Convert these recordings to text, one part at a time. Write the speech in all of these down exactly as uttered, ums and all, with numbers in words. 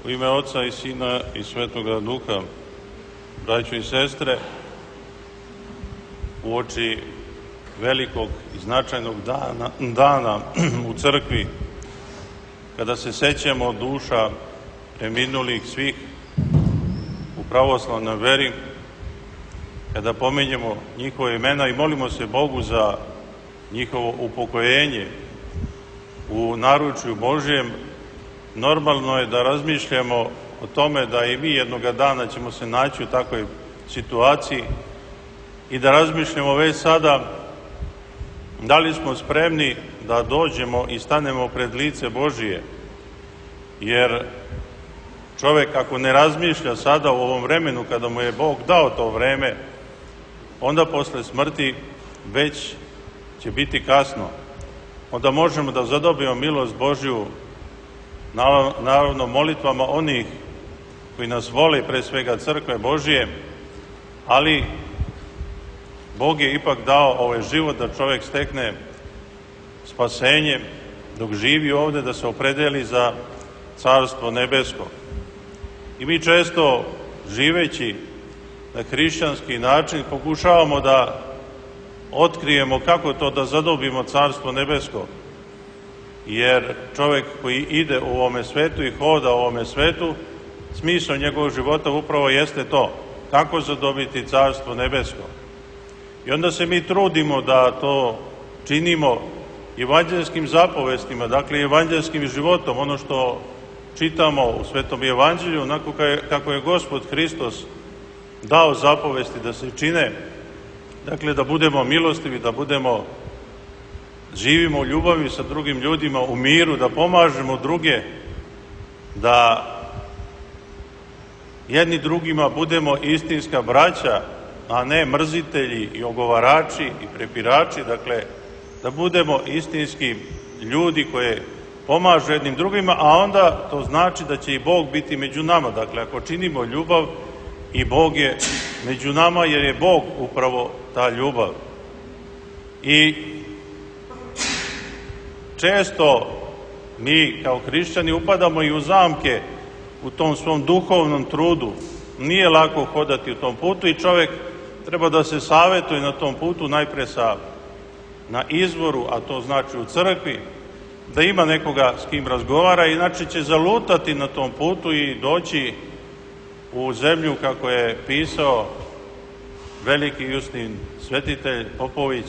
U ime Oca i Sina i Svetoga Duha, braćo i sestre, uoči velikog i značajnog dana, dana u crkvi, kada se sećamo duša preminulih svih u pravoslavnoj veri, kada pominjemo njihove imena i molimo se Bogu za njihovo upokojenje u naručju Božjem, normalno je da razmišljamo o tome da i mi jednoga dana ćemo se naći u takvoj situaciji i da razmišljamo već sada da li smo spremni da dođemo i stanemo pred lice Božije. Jer čovek ako ne razmišlja sada u ovom vremenu kada mu je Bog dao to vreme, onda posle smrti već će biti kasno. Onda možemo da zadobijemo milost Božju, naravno molitvama onih koji nas vole, pre svega crkve Božije, ali Bog je ipak dao ovaj život da čovek stekne spasenje dok živi ovde, da se opredeli za Carstvo nebesko. I mi često, živeći na hrišćanski način, pokušavamo da otkrijemo kako to da zadobimo Carstvo nebesko. Jer čovek koji ide u ovome svetu i hoda u ovome svetu, smisao njegovog života upravo jeste to, kako zadobiti Carstvo nebesko. I onda se mi trudimo da to činimo evanđelskim zapovestima, dakle evanđelskim životom, ono što čitamo u Svetom evanđelju, onako kako je Gospod Hristos dao zapovesti da se čine, dakle da budemo milostivi, da budemo, živimo u ljubavi sa drugim ljudima, u miru, da pomažemo druge, da jedni drugima budemo istinska braća, a ne mrzitelji i ogovarači i prepirači, dakle da budemo istinski ljudi koje pomažu jednim drugima, a onda to znači da će i Bog biti među nama. Dakle, ako činimo ljubav, i Bog je među nama, jer je Bog upravo ta ljubav. I često mi kao hrišćani upadamo i u zamke u tom svom duhovnom trudu. Nije lako hodati u tom putu i čovek treba da se savetuje na tom putu, najpre sa, na izvoru, a to znači u crkvi, da ima nekoga s kim razgovara, inače će zalutati na tom putu i doći u zemlju, kako je pisao veliki Justin svetitelj Popović,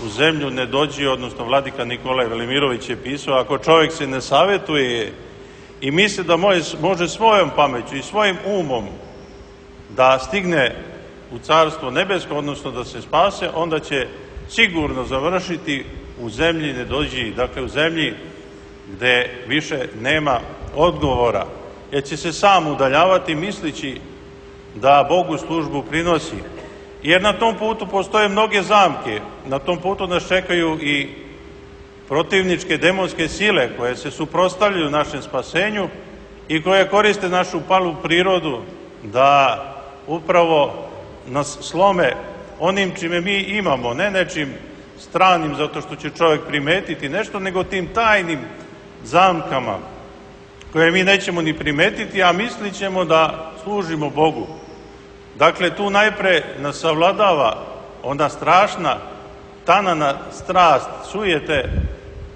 u zemlju ne dođi, odnosno vladika Nikolaj Velimirović je pisao, ako čovjek se ne savjetuje i misli da može svojom pameću i svojim umom da stigne u Carstvo nebesko, odnosno da se spase, onda će sigurno završiti u zemlji ne dođi, dakle u zemlji gde više nema odgovora, jer će se sam udaljavati mislići da Bogu službu prinosi. Jer na tom putu postoje mnoge zamke, na tom putu nas čekaju i protivničke demonske sile koje se suprotstavljaju našem spasenju i koje koriste našu palu prirodu da upravo nas slome onim čime mi imamo, ne nečim stranim zato što će čovjek primetiti nešto, nego tim tajnim zamkama koje mi nećemo ni primetiti, a mislit ćemo da služimo Bogu. Dakle, tu najpre nas savladava ona strašna, tanana strast, sujete,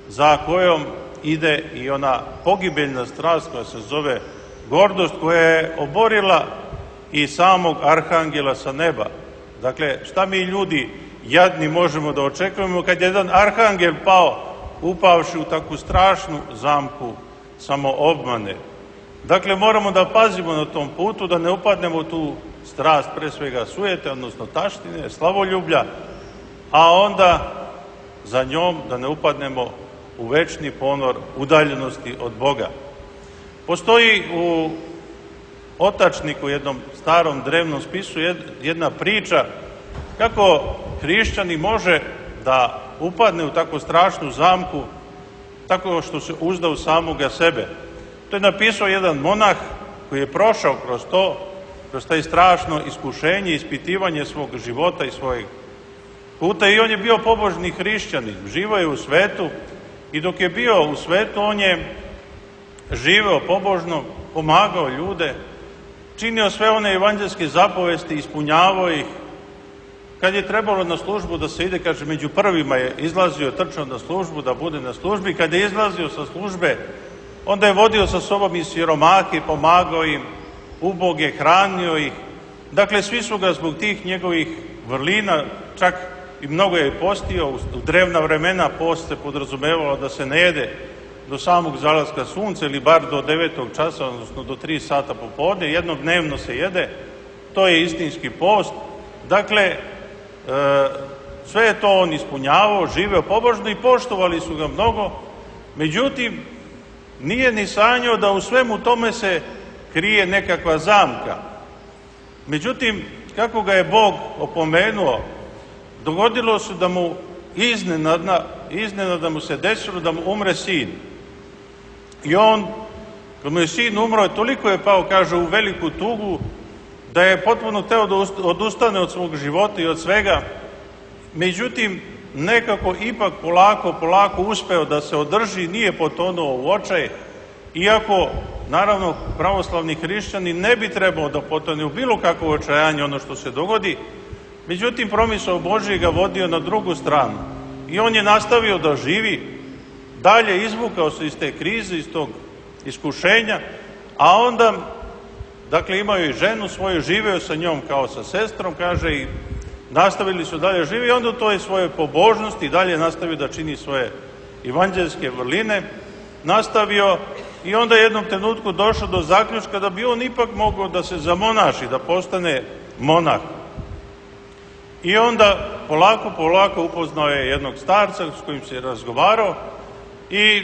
za kojom ide i ona pogibeljna strast koja se zove gordost, koja je oborila i samog arhangela sa neba. Dakle, šta mi ljudi jadni možemo da očekujemo kad je jedan arhangel pao, upavši u takvu strašnu zamku samoobmane. Dakle, moramo da pazimo na tom putu, da ne upadnemo u tu strast, pre svega sujete, odnosno taštine, slavoljublja, a onda za njom da ne upadnemo u večni ponor udaljenosti od Boga. Postoji u Otačniku, jednom starom drevnom spisu, jedna priča kako hrišćani može da upadne u tako strašnu zamku tako što se uzda u samoga sebe. To je napisao jedan monah koji je prošao kroz to, kroz taj strašno iskušenje, ispitivanje svog života i svojeg puta, i on je bio pobožni hrišćanin, živeo je u svetu i dok je bio u svetu on je živeo pobožno pomagao ljude, činio sve one evanđelske zapovesti, ispunjavao ih. Kad je trebalo na službu da se ide, kaže, među prvima je izlazio, trčao na službu, da bude na službi. Kad je izlazio sa službe, onda je vodio sa sobom i siromahe, pomagao im, uboge, hranio ih. Dakle, svi su ga zbog tih njegovih vrlina, čak i mnogo je postio. U drevna vremena post se podrazumevalo da se ne jede do samog zalaska sunca ili bar do devetog časa, odnosno do tri sata popodne. Jednodnevno se jede, to je istinski post. Dakle, e, sve je to on ispunjavao, živeo pobožno i poštovali su ga mnogo. Međutim, nije ni sanjao da u svemu tome se krije nekakva zamka. Međutim, kako ga je Bog opomenuo, dogodilo se da mu iznenadna, iznenada mu se desilo da mu umre sin. I on, kad mu je sin umro, toliko je pao, kaže, u veliku tugu, da je potpuno teo da odustane od svog života i od svega. Međutim, nekako ipak polako, polako uspeo da se održi, nije potonuo u očaj, iako, naravno, pravoslavni hrišćani ne bi trebao da potone u bilo kakvo očajanje ono što se dogodi. Međutim, promisao Božji ga vodio na drugu stranu i on je nastavio da živi, dalje izvukao se iz te krize, iz tog iskušenja, a onda, dakle, imao je i ženu svoju, živeo sa njom kao sa sestrom, kaže, i nastavili su dalje živi i onda u toj svoje pobožnosti dalje nastavio da čini svoje evanđelske vrline, nastavio i onda jednom trenutku došao do zaključka da bi on ipak mogao da se zamonaši, da postane monah. I onda polako, polako upoznao je jednog starca s kojim se razgovarao i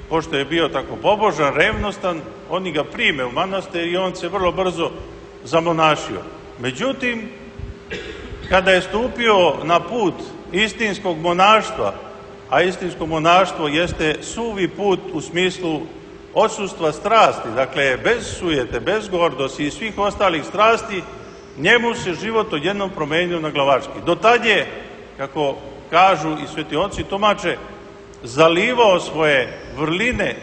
pošto je bio tako pobožan, revnostan, oni ga prime u manastir i on se vrlo brzo zamonašio. Međutim, kada je stupio na put istinskog monaštva, a istinsko monaštvo jeste suvi put u smislu odsustva strasti, dakle bez sujete, bez gordosti i svih ostalih strasti, njemu se život odjednom promenio na glavački. Do tad je, kako kažu i sveti oci tumače, zalivao svoje vrline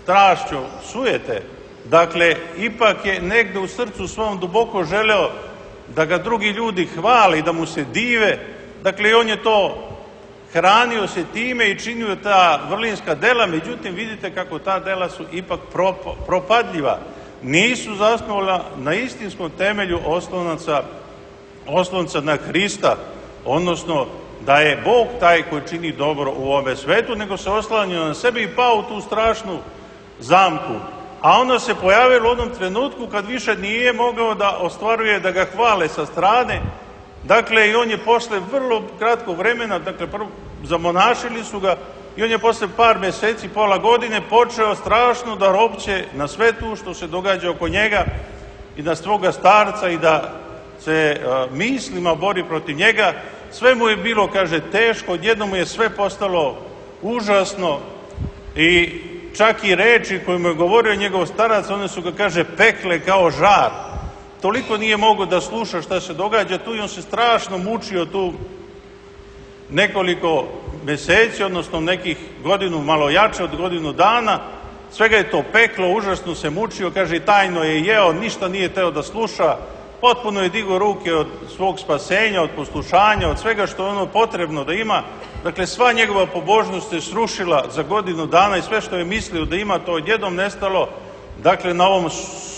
strašću sujete. Dakle, ipak je negde u srcu svom duboko želeo da ga drugi ljudi hvale i da mu se dive. Dakle, on je to hranio se time i činio ta vrlinska dela, međutim, vidite kako ta dela su ipak propadljiva. Nisu zasnovala na istinskom temelju oslonaca, oslonca na Hrista, odnosno da je Bog taj koji čini dobro u ovome svetu, nego se oslanjao na sebe i pao u tu strašnu zamku. A onda se pojavilo u onom trenutku kad više nije mogao da ostvaruje, da ga hvale sa strane. Dakle, i on je posle vrlo kratkog vremena, dakle, prvo zamonašili su ga i on je posle par meseci, pola godine počeo strašno da ropće na sve tu što se događa oko njega i na svoga starca i da se a, mislima bori protiv njega. Sve mu je bilo, kaže, teško, odjednom mu je sve postalo užasno i čak i reči koje mu je govorio njegov starac, one su ga, kaže, pekle kao žar. Toliko nije mogao da sluša šta se događa tu i on se strašno mučio tu nekoliko meseci, odnosno nekih godinu, malo jače od godinu dana. Svega je to peklo, užasno se mučio, kaže, i tajno je jeo, ništa nije teo da sluša, potpuno je digao ruke od svog spasenja, od poslušanja, od svega što je ono potrebno da ima. Dakle, sva njegova pobožnost se srušila za godinu dana i sve što je mislio da ima, to odjednom nestalo. Dakle, na ovom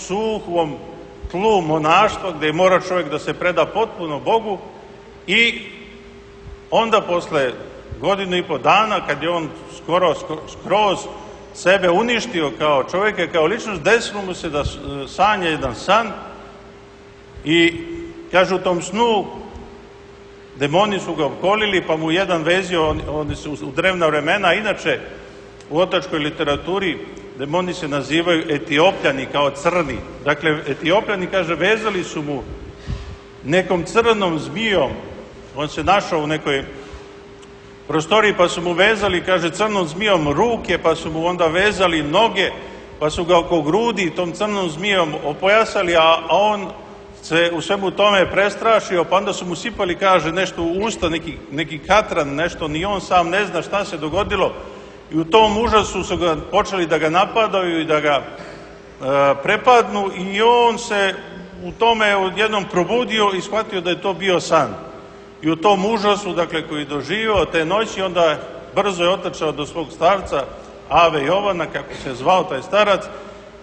suhom tlu monaštva gde mora čovjek da se preda potpuno Bogu i onda posle godinu i po dana, kad je on skoro skroz sebe uništio kao čovjeka, kao ličnost, desilo mu se da sanja jedan san i, kaže, u tom snu demoni su ga opkolili, pa mu jedan vezio, oni su u drevna vremena, inače u otačkoj literaturi demoni se nazivaju Etiopljani, kao crni. Dakle, Etiopljani, kaže, vezali su mu nekom crnom zmijom, on se našao u nekoj prostoriji, pa su mu vezali, kaže, crnom zmijom ruke, pa su mu onda vezali noge, pa su ga oko grudi tom crnom zmijom opojasali, a on se u svemu tome prestrašio, pa onda su mu sipali, kaže, nešto u usta, neki, neki katran, nešto, ni on sam ne zna šta se dogodilo. I u tom užasu su ga počeli da ga napadaju i da ga prepadnu i on se u tome odjednom probudio i shvatio da je to bio san. I u tom užasu, dakle, koji je doživio te noći, onda brzo je otrčao do svog starca, Ave Jovana, kako se zvao taj starac,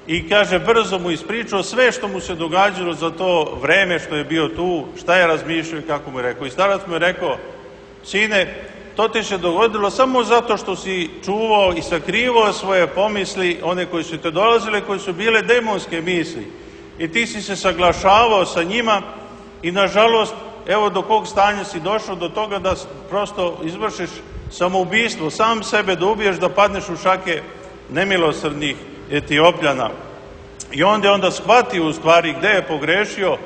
i kaže, brzo mu ispričao sve što mu se događalo za to vreme što je bio tu, šta je razmišljao i kako mu je rekao. I starac mu je rekao, sine, to ti se dogodilo samo zato što si čuvao i sakrivao svoje pomisli, one koji su te dolazile, koje su bile demonske misli. I ti si se saglašavao sa njima i nažalost, evo do kog stanja si došao, do toga da prosto izvršiš samoubistvo, sam sebe da ubiješ, da padneš u šake nemilosrdnih Etiopljana. I onda je onda shvatio u stvari gde je pogrešio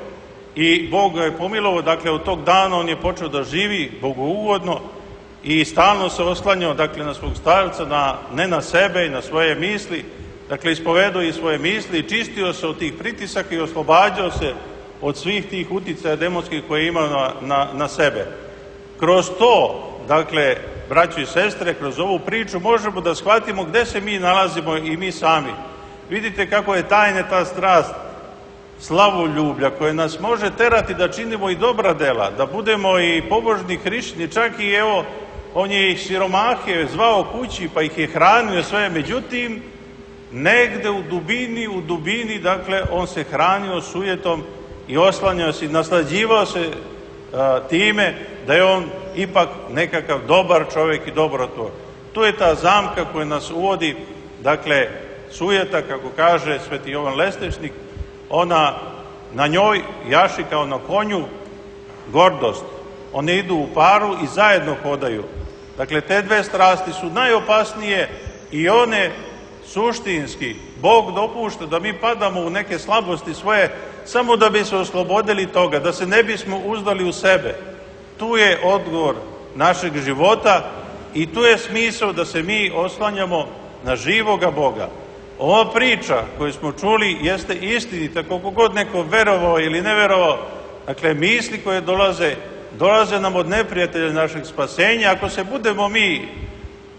i Bog ga je pomilovao. Dakle, od tog dana on je počeo da živi bogougodno i stalno se oslanjao, dakle, na svog starca, na, ne na sebe i na svoje misli. Dakle, ispovedao i svoje misli i čistio se od tih pritisaka i oslobađao se od svih tih uticaja demonskih koje je imao na, na, na sebe. Kroz to, dakle, braćo i sestre, kroz ovu priču možemo da shvatimo gde se mi nalazimo i mi sami. Vidite kako je tajna ta strast slavoljublja koja nas može terati da činimo i dobra dela, da budemo i pobožni hrišćani, čak i evo, on je ih siromahe zvao kući pa ih je hranio sve, međutim, negde u dubini, u dubini, dakle, on se hranio sujetom i oslanjao se i naslađivao se a, time da je on ipak nekakav dobar čovjek i dobrotvor. Tu je ta zamka koja nas uvodi, dakle, sujeta, kako kaže sveti Jovan Lestečnik, ona na njoj jaši kao na konju gordost. One idu u paru i zajedno hodaju. Dakle, te dve strasti su najopasnije i one suštinski Bog dopušta da mi padamo u neke slabosti svoje samo da bi se oslobodili toga, da se ne bismo uzdali u sebe. Tu je odgovor našeg života i tu je smisao da se mi oslanjamo na živoga Boga. Ova priča koju smo čuli jeste istinita, koliko god neko verovao ili ne verovao. Dakle, misli koje dolaze, dolaze nam od neprijatelja našeg spasenja. Ako se budemo mi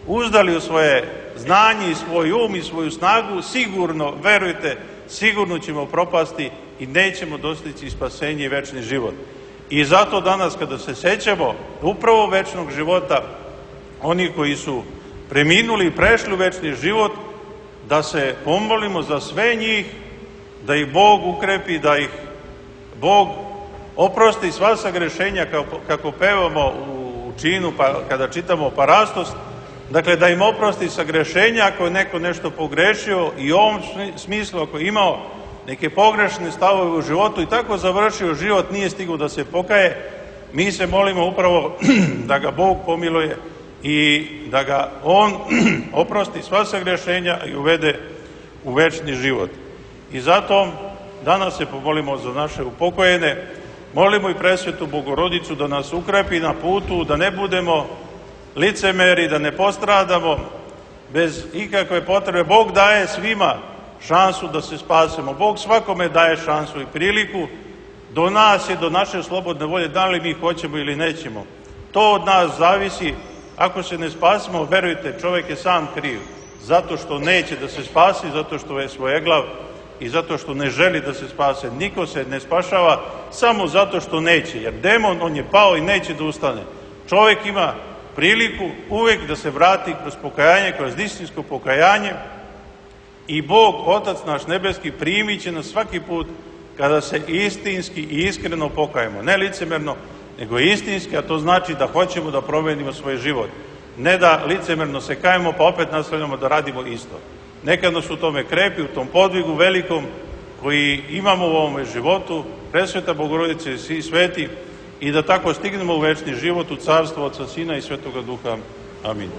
uzdali u svoje znanje i svoj um i svoju snagu, sigurno, verujte, sigurno ćemo propasti i nećemo dostići spasenje i večni život. I zato danas kada se sećamo upravo večnog života, oni koji su preminuli i prešli u večni život, da se pomolimo za sve njih, da ih Bog ukrepi, da ih Bog oprosti sva sagrešenja kako pevamo u činu pa, kada čitamo parastos, dakle da im oprosti sagrešenja ako je neko nešto pogrešio i u ovom smislu ako je imao neke pogrešne stavove u životu i tako završio život, nije stigao da se pokaje, mi se molimo upravo da ga Bog pomiluje i da ga on oprosti sva sagrešenja i uvede u večni život. I zato danas se pomolimo za naše upokojene, molimo i presvetu Bogorodicu da nas ukrepi na putu, da ne budemo licemeri, da ne postradamo bez ikakve potrebe. Bog daje svima šansu da se spasemo. Bog svakome daje šansu i priliku. Do nas je, do naše slobodne volje, da li mi hoćemo ili nećemo. To od nas zavisi. Ako se ne spasimo, verujte, čovjek je sam kriv. Zato što neće da se spasi, zato što je svojeglav i zato što ne želi da se spase. Niko se ne spašava samo zato što neće. Jer demon, on je pao i neće da ustane. Čovjek ima priliku uvek da se vrati kroz pokajanje, kroz istinsko pokajanje i Bog, Otac naš nebeski, primit će nas svaki put kada se istinski i iskreno pokajemo. Ne licemerno, nego istinski, a to znači da hoćemo da promenimo svoj život. Ne da licemerno se kajemo pa opet nastavljamo da radimo isto. Nekad nas u tome krepi, u tom podvigu velikom koji imamo u ovome životu, presveta Bogorodice i svi sveti, i da tako stignemo u večni život, u carstvo Otca, Sina i Svetoga Duha. Amin.